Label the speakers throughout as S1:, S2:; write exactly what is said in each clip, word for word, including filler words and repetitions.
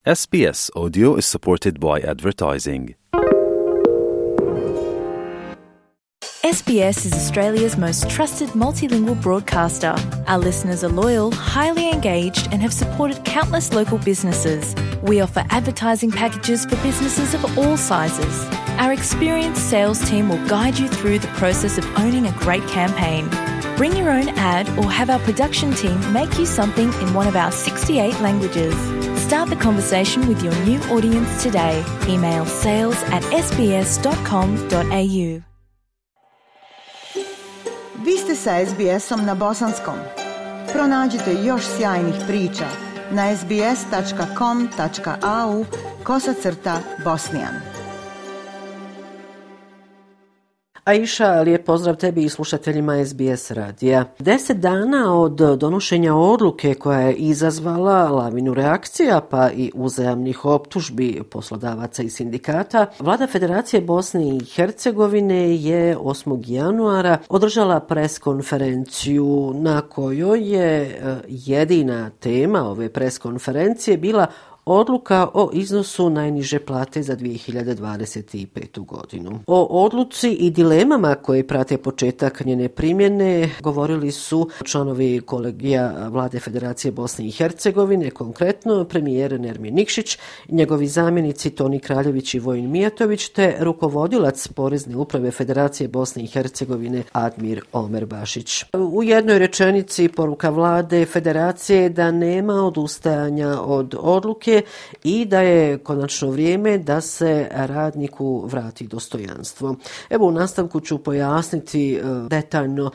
S1: S B S Audio is supported by advertising.
S2: S B S is Australia's most trusted multilingual broadcaster. Our listeners are loyal, highly engaged, and have supported countless local businesses. We offer advertising packages for businesses of all sizes. Our experienced sales team will guide you through the process of owning a great campaign. Bring your own ad or have our production team make you something in one of our sixty-eight languages. Start the conversation with your new audience today. Email sales at s b s dot com dot a u.
S3: Vi ste sa S B S-om na bosanskom. Pronađite još sjajnih priča na sbs.com.au kosacrta Bosnijan.
S4: Aisha, lijep pozdrav tebi i slušateljima S B S radija. Deset dana od donošenja odluke koja je izazvala lavinu reakcija pa i uzajamnih optužbi poslodavaca i sindikata, Vlada Federacije Bosne i Hercegovine je osmog januara održala pres konferenciju na kojoj je jedina tema ove pres konferencije bila odluka o iznosu najniže plate za dvije hiljade dvadeset petu. godinu. O odluci i dilemama koje prate početak njene primjene govorili su članovi kolegija Vlade Federacije Bosne i Hercegovine, konkretno premijer Nermin Nikšić, njegovi zamjenici Toni Kraljević i Vojin Mijatović, te rukovodilac Porezne uprave Federacije Bosne i Hercegovine Admir Omer Bašić. U jednoj rečenici poruka Vlade Federacije da nema odustajanja od odluke i da je konačno vrijeme da se radniku vrati dostojanstvo. Evo, u nastavku ću pojasniti detaljno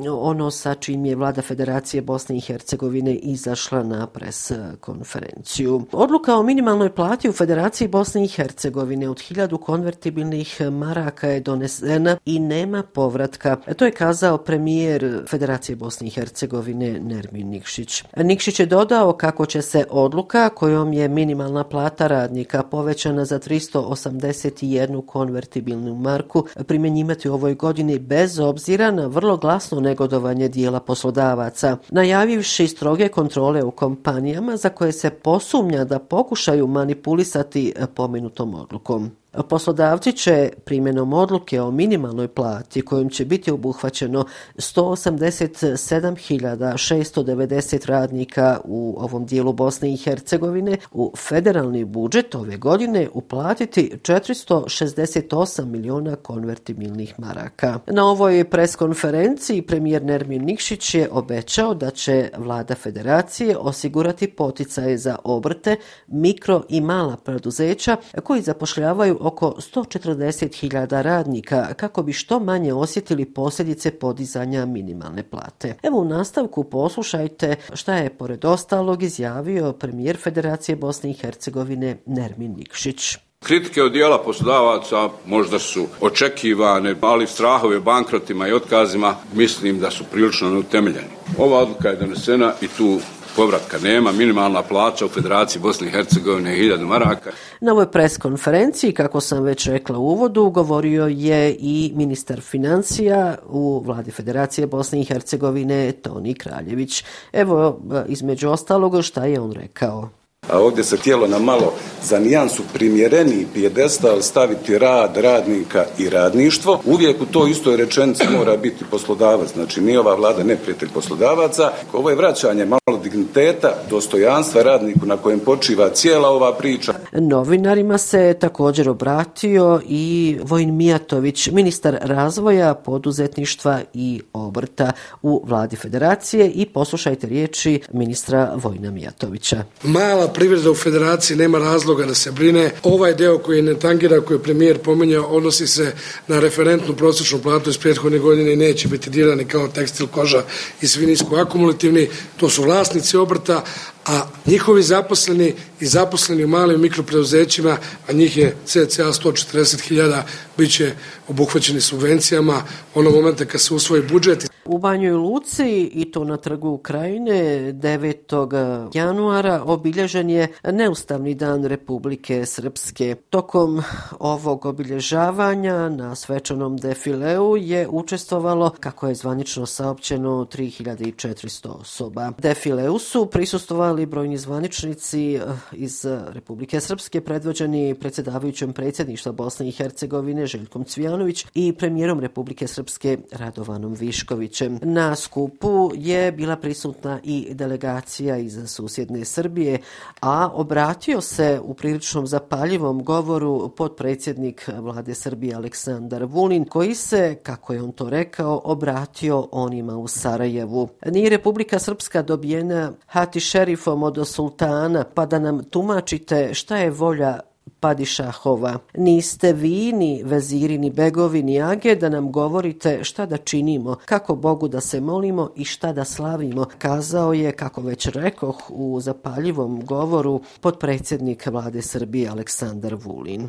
S4: ono sa čim je Vlada Federacije Bosne i Hercegovine izašla na pres konferenciju. Odluka o minimalnoj plati u Federaciji Bosne i Hercegovine od hiljadu konvertibilnih maraka je donesena i nema povratka. To je kazao premijer Federacije Bosne i Hercegovine Nermin Nikšić. Nikšić je dodao kako će se odluka kojom je minimalna plata radnika povećana za tristo osamdeset jednu konvertibilnu marku primjenjivati u ovoj godini bez obzira na vrlo glasno negodovanje dijela poslodavaca, najavivši stroge kontrole u kompanijama za koje se posumnja da pokušaju manipulisati pomenutom odlukom. Poslodavci će primjenom odluke o minimalnoj plati kojom će biti obuhvaćeno sto osamdeset sedam hiljada šesto devedeset radnika u ovom dijelu Bosne i Hercegovine u federalni budžet ove godine uplatiti četiristo šezdeset osam miliona konvertibilnih maraka. Na ovoj pres konferenciji premijer Nermin Nikšić je obećao da će Vlada Federacije osigurati poticaje za obrte, mikro i mala preduzeća koji zapošljavaju oko sto četrdeset hiljada radnika kako bi što manje osjetili posljedice podizanja minimalne plate. Evo, u nastavku poslušajte šta je pored ostalog izjavio premijer Federacije Bosne i Hercegovine Nermin Nikšić.
S5: Kritike od dijela poslodavaca možda su očekivane, ali strahove o bankrotima i otkazima mislim da su prilično neutemeljeni. Ova odluka je donesena i tu povratka nema. Minimalna plaća u Federaciji Bosne i Hercegovine je hiljadu maraka.
S4: Na ovoj pres konferenciji, kako sam već rekla u uvodu, govorio je i ministar financija u Vladi Federacije Bosne i Hercegovine Toni Kraljević. Evo, između ostalog, šta je on rekao.
S6: A ovdje se htjelo na malo za nijansu primjereniji pijedestal staviti rad, radnika i radništvo. Uvijek u toj istoj rečenici mora biti poslodavac. Znači, nije ova vlada neprijatelj poslodavaca. Ovo je vraćanje malo digniteta, dostojanstva radniku na kojem počiva cijela ova priča.
S4: Novinarima se također obratio i Vojin Mijatović, ministar razvoja, poduzetništva i obrta u Vladi Federacije, i poslušajte riječi ministra Vojina Mijatovića.
S7: Mala privreda u Federaciji nema razloga da se brine. Ovaj deo koji ne tangira, koji je premijer pominjao, odnosi se na referentnu prosječnu platu iz prethodne godine i neće biti dirani kao tekstil, koža i svi nisko akumulativni. To su vlasnici obrta, a njihovi zaposleni i zaposleni u malim mikropreduzećima, a njih je cca sto četrdeset hiljada, bit će obuhvaćeni subvencijama onog momenta kad se usvoji budžet.
S4: U Banjoj Luci, i to na Trgu Krajine, devetog januara obilježen je neustavni dan Republike Srpske. Tokom ovog obilježavanja na svečanom defileu je učestvovalo, kako je zvanično saopćeno, tri hiljade četiristo osoba. Defileu su prisustvovali pozvali brojni zvaničnici iz Republike Srpske predvođeni predsjedavajućom predsjedništva Bosne i Hercegovine Željkom Cvijanović i premijerom Republike Srpske Radovanom Viškovićem. Na skupu je bila prisutna i delegacija iz susjedne Srbije, a obratio se u priličnom zapaljivom govoru potpredsjednik vlade Srbije Aleksandar Vulin, koji se, kako je on to rekao, obratio onima u Sarajevu. Nije Republika Srpska dobijena hati šerifom od sultana, pa da nam tumačite šta je volja Padišahova. Niste vi, ni veziri, ni begovi, ni age da nam govorite šta da činimo, kako Bogu da se molimo i šta da slavimo, kazao je, kako već rekoh, u zapaljivom govoru potpredsjednik vlade Srbije Aleksandar Vulin.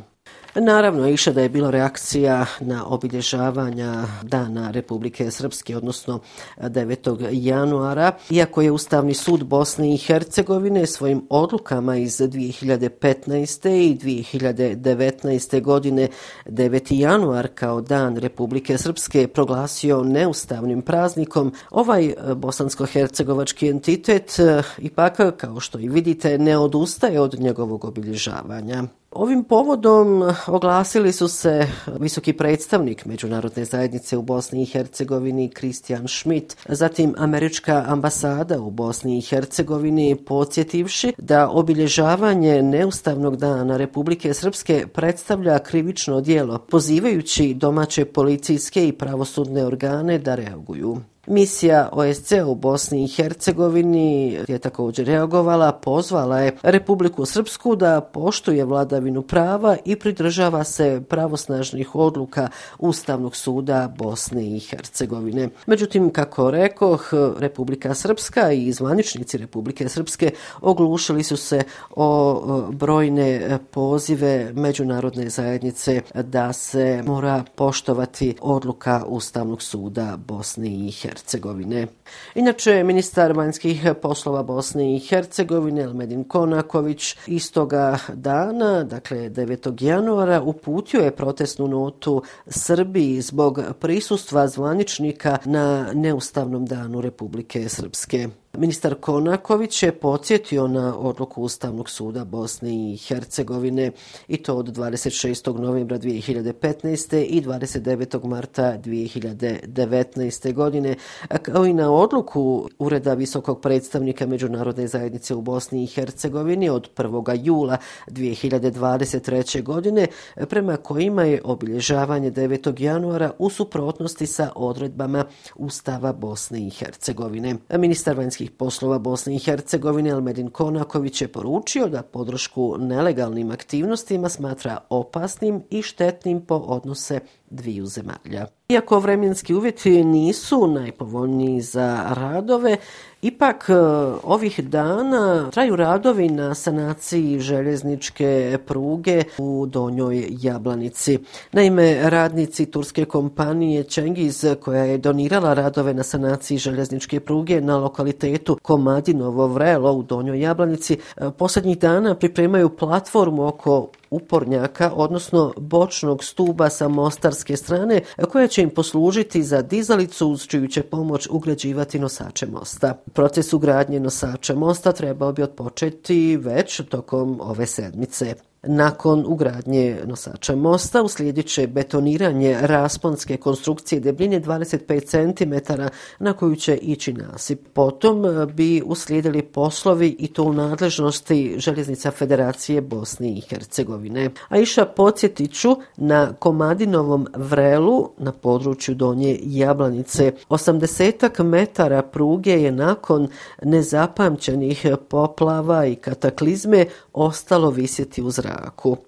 S4: Naravno, iša da je bila reakcija na obilježavanja Dana Republike Srpske, odnosno devetog januara, iako je Ustavni sud Bosne i Hercegovine svojim odlukama iz dvije hiljade petnaeste. i dvije hiljade devetnaeste. godine deveti januar kao Dan Republike Srpske proglasio neustavnim praznikom, ovaj bosansko-hercegovački entitet ipak, kao što i vidite, ne odustaje od njegovog obilježavanja. Ovim povodom oglasili su se visoki predstavnik Međunarodne zajednice u Bosni i Hercegovini Christian Schmidt, zatim američka ambasada u Bosni i Hercegovini, podsjetivši da obilježavanje neustavnog dana Republike Srpske predstavlja krivično djelo, pozivajući domaće policijske i pravosudne organe da reaguju. Misija O S C E u Bosni i Hercegovini je također reagovala, pozvala je Republiku Srpsku da poštuje vladavinu prava i pridržava se pravosnažnih odluka Ustavnog suda Bosne i Hercegovine. Međutim, kako rekoh, Republika Srpska i zvaničnici Republike Srpske oglušili su se o brojne pozive međunarodne zajednice da se mora poštovati odluka Ustavnog suda Bosne i Hercegovine. Hercegovine. Inače, ministar vanjskih poslova Bosne i Hercegovine Elmedin Konaković istoga dana, dakle devetog januara, uputio je protestnu notu Srbiji zbog prisustva zvaničnika na neustavnom danu Republike Srpske. Ministar Konaković je podsjetio na odluku Ustavnog suda Bosne i Hercegovine i to od dvadeset šestog novembra dvije hiljade petnaeste. i dvadeset devetog marta dvije hiljade devetnaeste. godine, kao i na odluku Ureda visokog predstavnika Međunarodne zajednice u Bosni i Hercegovini od prvog jula dvije hiljade dvadeset treće. godine, prema kojima je obilježavanje devetog januara u suprotnosti sa odredbama Ustava Bosne i Hercegovine. Ministar vanjskih poslova Bosne i Hercegovine Elmedin Konaković je poručio da podršku nelegalnim aktivnostima smatra opasnim i štetnim po odnose dviju zemalja. Iako vremenski uvjeti nisu najpovoljniji za radove, ipak ovih dana traju radovi na sanaciji željezničke pruge u Donjoj Jablanici. Naime, radnici turske kompanije Cengiz, koja je donirala radove na sanaciji željezničke pruge na lokalitetu Komadinovo Vrelo u Donjoj Jablanici, posljednjih dana pripremaju platformu oko upornjaka, odnosno bočnog stuba sa mostarske strane, koja će im poslužiti za dizalicu uz čiju će pomoć ugrađivati nosače mosta. Proces ugradnje nosača mosta trebao bi otpočeti već tokom ove sedmice. Nakon ugradnje nosača mosta uslijedit će betoniranje rasponske konstrukcije debljine dvadeset pet centimetara na koju će ići nasip. Potom bi uslijedili poslovi i to u nadležnosti Željeznica Federacije Bosne i Hercegovine. A iša podsjetit ću na Komadinovom Vrelu na području Donje Jablanice. osamdesetak metara pruge je nakon nezapamćenih poplava i kataklizme ostalo visjeti u zraku.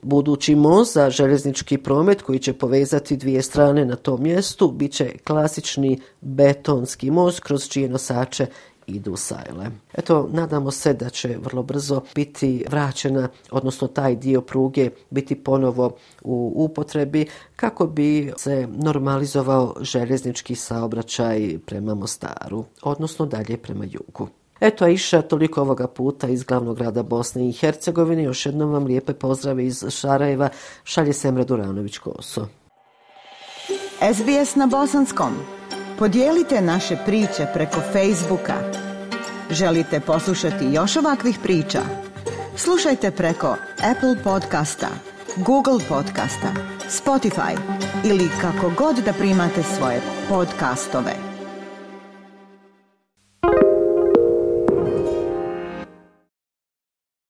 S4: Budući most za željeznički promet koji će povezati dvije strane na tom mjestu bit će klasični betonski most kroz čije nosače idu sajle. Eto, nadamo se da će vrlo brzo biti vraćena, odnosno taj dio pruge biti ponovo u upotrebi kako bi se normalizovao željeznički saobraćaj prema Mostaru, odnosno dalje prema jugu. Eto, Aisha, toliko ovoga puta iz glavnog grada Bosne i Hercegovine. Još jednom vam lijepe pozdrave iz Sarajeva. Šalje Semra Duranović-Koso.
S3: S B S na bosanskom. Podijelite naše priče preko Facebooka. Želite poslušati još ovakvih priča? Slušajte preko Apple podcasta, Google podcasta, Spotify ili kako god da primate svoje podcastove.